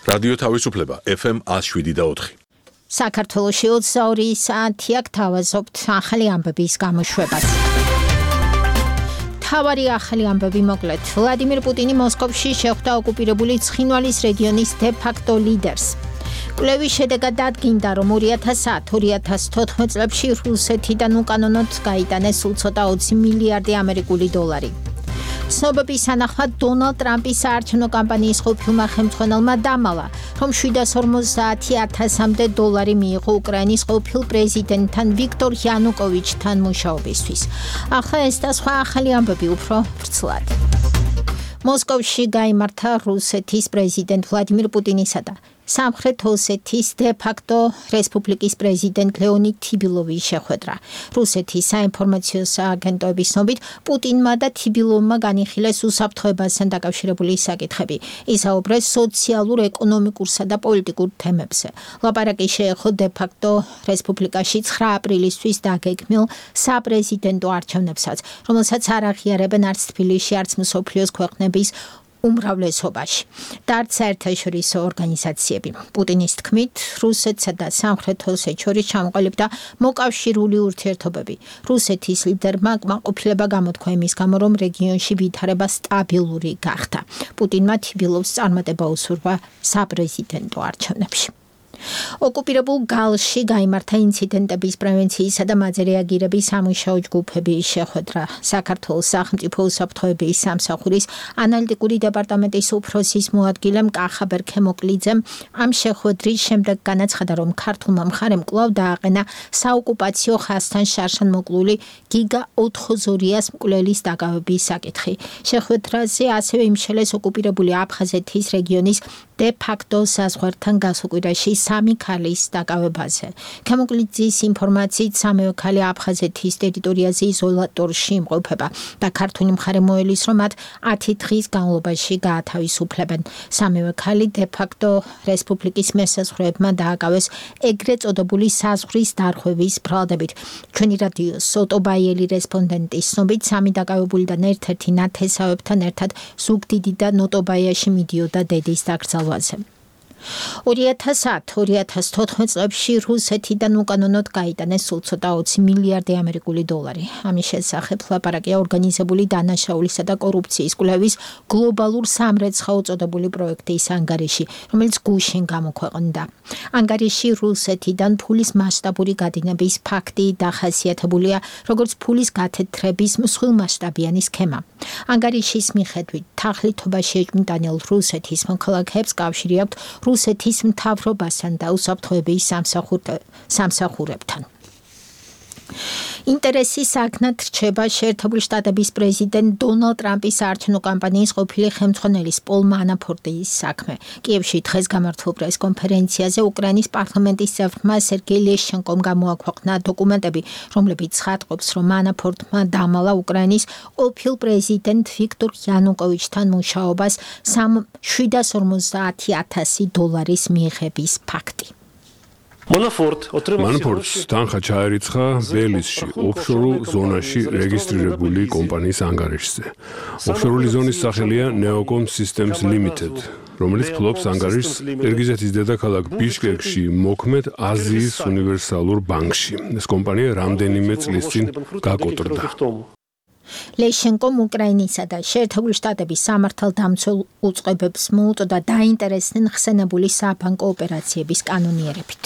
რადიო თავისუფლება FM 107.4. საქართველოში 22 საათია გთავაზობთ ახალი ამბების გამოშვებას. თავარი ახალი ამბები მოკლედ. ვლადიმირ პუტინი მოსკოვში შეხვდა ოკუპირებული ცხინვალის რეგიონის დე-ფაქტო ლიდერს. კვლევის შედეგად დადგინდა, რომ 2010-2014 წლებში რუსეთიდან უკანონოდ გაიტანეს სულ ცოტა 20 მილიარდი ამერიკული დოლარი. ცნობების თანახმად დონალდ ტრამპის საარჩევნო კამპანიის ყოფილმა ხელმძღვანელმა დამალა, რომ 750,000-მდე დოლარი მიიღო უკრაინის ყოფილ პრეზიდენტთან ვიქტორ იანუკოვიჩთან მუშაობისთვის. ახლა ეს და სხვა ახალი ამბები უფრო ვრცლად. მოსკოვში გაიმართა რუსეთის პრეზიდენტ ვლადიმირ პუტინისა და სამხრეთ ოსეთის დე-ფაქტო რესპუბლიკის პრეზიდენტ ლეონიდ თიბილოვის შეხვედრა. რუსეთის საინფორმაციო სააგენტოების ცნობით, პუტინმა და თიბილოვმა განიხილეს უსაფრთხოებასთან დაკავშირებული საკითხები. ისაუბრეს სოციალურ, ეკონომიკურსა და პოლიტიკურ თემებზე. ლაპარაკი შეეხო დე-ფაქტო რესპუბლიკაში 9 აპრილისთვის დაგეგმილ საპრეზიდენტო არჩევნებსაც, რომელსაც არ აღიარებენ არც თბილისში, არც მსოფლიოს ქვეყნების უმრავლესობაში და არც საერთაშორისო ორგანიზაციები. პუტინის თქმით, რუსეთსა და სამხრეთ ოსეთს შორის ჩამოყალიბდა მოკავშირული ურთიერთობები. რუსეთის ლიდერმა კმაყოფილება გამოთქვა იმის გამო, რომ რეგიონში ვითარება სტაბილური გახდა. პუტინმა თიბილოვს წარმატება უსურვა საპრეზიდენტო არჩევნებში. ოკუპირებულ გალში გაიმართა ინციდენტების პრევენციისა და მაზე რეაგირების სამუშაო ჯგუფების შეხვედრა. საქართველოს სახელმწიფო უსაფრთხოების სამსახურის ანალიტიკური დეპარტამენტის უფროსის მოადგილემ კახა ბერქემოკლიძემ ამ შეხვედრის შემდეგ განაცხადა, რომ ქართულმა მხარემ კვლავ დააყენა საოკუპაციო ხაზთან შარშანმოკლული გიგა 4 ზურიას მკვლელის დაკავების საკითხი. შეხვედრაზე ასევე იმშელეს ოკუპირებული აფხაზეთის რეგიონის დე-ფაქტო საზღვართან გასუკვირაში 3 ქალის დაკავებაზე. ქემოკლიძის ინფორმაციით, 3 ქალი აფხაზეთის ტერიტორიაზე იზოლატორში იმყოფება და ქართული მხარე მოელის, რომ მათ 10 დღის განმავლობაში გაათავისუფლებენ. 3 ქალი დე-ფაქტო რესპუბლიკის მესაზღვრეებმა დააკავეს ეგრეთ წოდებული საზღვრის დარღვევის ბრალდებით. ჩვენი რადიოს ოტობაიელი რესპონდენტის ცნობით, 3 დაკავებულიდან ერთ-ერთი ნათესავებთან ერთად ზუგდიდი და ნოტობაიაში მიდიოდა დედის დაკრძალვაზე. 2010-2014 წლებში რუსეთიდან უკანონოდ გაიტანეს სულ ცოტა 20 მილიარდი ამერიკული დოლარი. ამის შესახებ ლაპარაკია ორგანიზებული დანაშაულისა და კორუფციის კვლევის გლობალურ სამრეცხაო წოდებული პროექტის ანგარიში, რომელიც გუშინ გამოქვეყნდა. ანგარიში რუსეთიდან ფულის მასშტაბური გადინების ფაქტი დახასიათებულია, როგორც ფულის გათეთრების მსხვილმასშტაბიანი სქემა. ანგარიშის მიხედვით, თაღლითობაში ეჭვმიტანილ რუსეთის მოქალაქეებს კავშირი აქვთ რუსეთის მთავრობასთან და უსაფრთხოების სამსახურებთან. ინტერესის საგნად რჩება შეერთებული შტატების პრეზიდენტ დონალდ ტრამპის საარჩევნო კამპანიის ყოფილი ხელმძღვანელის პოლ მანაფორტის საქმე. კიევში დღეს გამართულ პრესკონფერენციაზე უკრაინის პარლამენტის წევრმა სერგეი ლეშჩენკომ გამოაქვეყნა დოკუმენტები, რომლებიც ცხადყოფს, რომ მანაფორტმა დამალა უკრაინის ყოფილ პრეზიდენტ ვიქტორ იანუკოვიჩთან მუშაობას 750,000 დოლარის მიღების ფაქტი. მანაფორტს თანხა ჩაერიცხა ბელიზში, ოფშორულ ზონაში რეგისტრირებული კომპანიის ანგარიშზე. ოფშორული ზონის სახელია Neocom Systems Limited, რომელიც ფლობს ანგარიშს ყირგიზეთის დედაქალაქ ბიშკეკში მოქმედ აზიის უნივერსალურ ბანკში. ეს კომპანია რამდენიმე წლის წინ გაკოტრდა. ლეშჩენკომ უკრაინისა და შეერთებული შტატების სამართალდამცველ უწყებებს მოუწოდა დაინტერესდნენ ხსენებული საბანკო ოპერაციების კანონიერებით.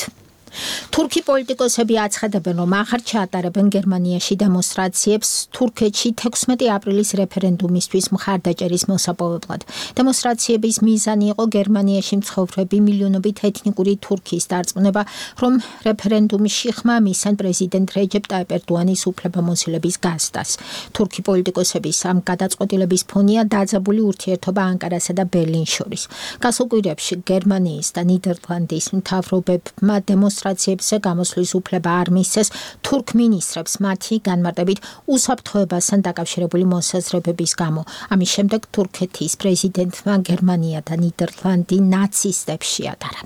თურქი პოლიტიკოსები აცხადებენ, რომ ახარ ჩაატარებენ გერმანიაში დემონსტრაციებს თურქეთში 16 აპრილის რეფერენდუმისთვის მხარდაჭერის მოსაპოვებლად. დემონსტრაციების მიზანი იყო გერმანიაში მცხოვრები მილიონობით ეთნიკური თურქის დარწმუნება, რომ რეფერენდუმში ხმა მისცენ პრეზიდენტ რეჯეპ ტაიპ ერდოანის უფლებამოსილების გასდას. თურქი პოლიტიკოსების ამ გადაწყვეტილების ფონია დაძაბული ურთიერთობა ანკარასა და ბერლინს შორის. გასულ კვირებში გერმანიის და ნიდერლანდის მთავრობებმა დემონსტრაციებზე გამოსვლის უფლება არ მისცეს თურქ მინისტრებს მათი განმარტებით უსაფრთხოებასთან დაკავშირებული მოსაზრებების გამო. ამის შემდეგ თურქეთის პრეზიდენტმა გერმანია და ნიდერლანდი ნაცისტებს შეადარა.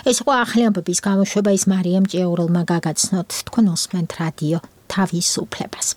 ეს იყო ახალი ამბების გამოშვება, ის მარიამ ჭიაურელმა გაგაცნოთ. თქვენ უსმენთ რადიო თავისუფლებას.